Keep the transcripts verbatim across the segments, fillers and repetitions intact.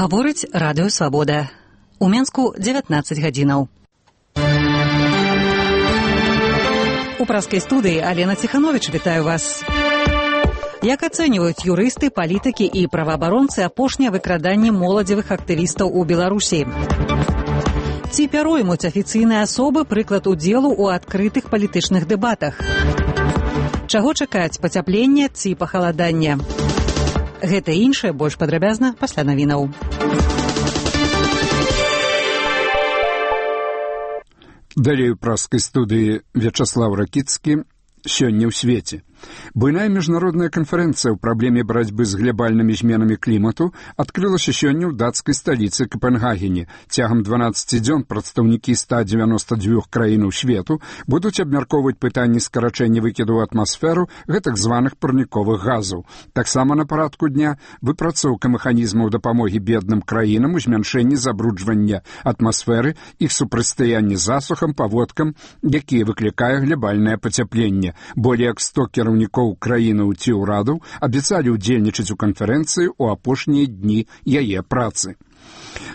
Гаворыць радыё Свабода. У Менску дзевятнаццаць гадзінаў. У праскай студыі Алена Ціхановіч, вітаю вас. Як ацэньваюць юрысты, палітыкі і праваабаронцы апошняе выкраданне моладзевых актывістаў у Беларусі? Ці пяроймуць афіцыйныя асобы прыклад удзелу ў адкрытых палітычных дэбатах? Чаго чакаць, пацяплення ці пахаладання? Гэта і іншае больш падрабязна пасля навінаў. Далей у праскай студыі Вячаслав Ракіцкі. Сёння ў свеце. Буйная міжнародная канферэнцыя ў праблеме барацьбы з глабальнымі зменамі клімату адкрылася сёння ў дацкай сталіцы Капенгагене. Цягам дванаццаці дзён прадстаўнікі ста дзевяноста дзвюх краінаў свету будуць абмяркоўваць пытанні скарачэння выкіду ў атмасферу гэтак званых парніковых газаў. Таксама на парадку дня выпрацоўка механізмаў дапамогі бедным краінам у змяншэнні забруджвання атмасферы, іх супрацьстаянні засухам, паводкам, якія выклікае глабальнае пацяпленне. Более як сто кіраўнікоў краінаў ці ўрадаў абяцалі ўдзельнічаць у канферэнцыі ў апошнія дні яе працы.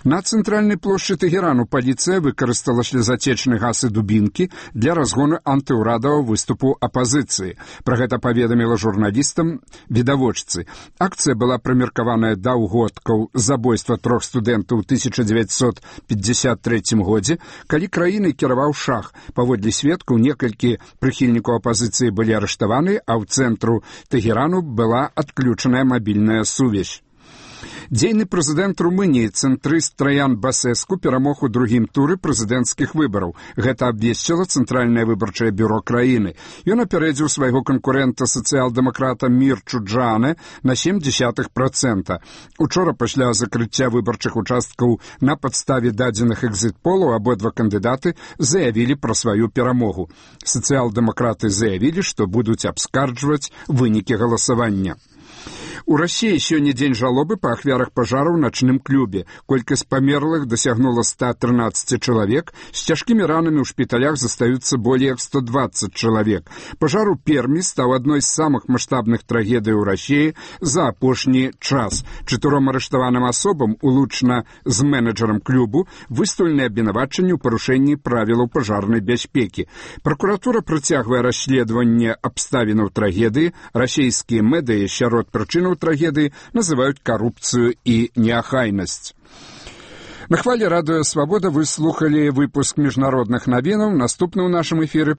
На цэнтральнай плошчы Тэгерану паліцыя выкарыстала слезацечны газ і дубінкі для разгону антыўрадавага выступу апазіцыі. Пра гэта паведаміла журналістам відавочцы. Акцыя была прымеркаваная да ўгодкаў забойства трох студэнтаў у тысяча дзевяцьсот пятьдесят трэцім годзе, калі краінай кіраваў шах. Паводле сведкаў, некалькі прыхільнікаў апазіцыі былі арыштаваны, а ў цэнтру Тэгерану была адключаная мабільная сувязь. Дзейны прэзідэнт Румыніі цэнтрыст Траян Басэску перамог у другім туры прэзідэнцкіх выбараў. Гэта абвесціла Цэнтральнае выбарчае бюро краіны. Ён апярэдзіў свайго канкурэнта сацыял-дэмакрата Мірчу Джане на сем дзесятых працэнта. Учора пасля закрыцця выбарчых участкаў на падставе дадзеных экзіт-полаў абодва кандыдаты заявілі пра сваю перамогу. Сацыял-дэмакраты заявілі, што будуць абскарджваць вынікі галасавання. У Расіі сёння дзень жалобы па ахвярах пажару ў начным клубе. Колькасць памерлых дасягнула ста трынаццаць чалавек, з цяжкімі ранамі ў шпіталях застаюцца болей як сто дваццаць чалавек. Пажар у Пермі стаў адной з самых маштабных трагедый у Расіі за апошні час. Чатыром арыштаваным асобам, улучна з менеджерам клубу, выстаўлены абвінавачанні ў парушэнні правілаў пажарнай бяспекі. Пракуратура працягвае расследаванне абставінаў трагедыі. Расійскія медыі сярод прычынаў трагедыі называюць карупцыю і неахайнасць. На хвале радыё Свабода вы слухалі выпуск міжнародных навінаў. Наступны ў нашым эфіры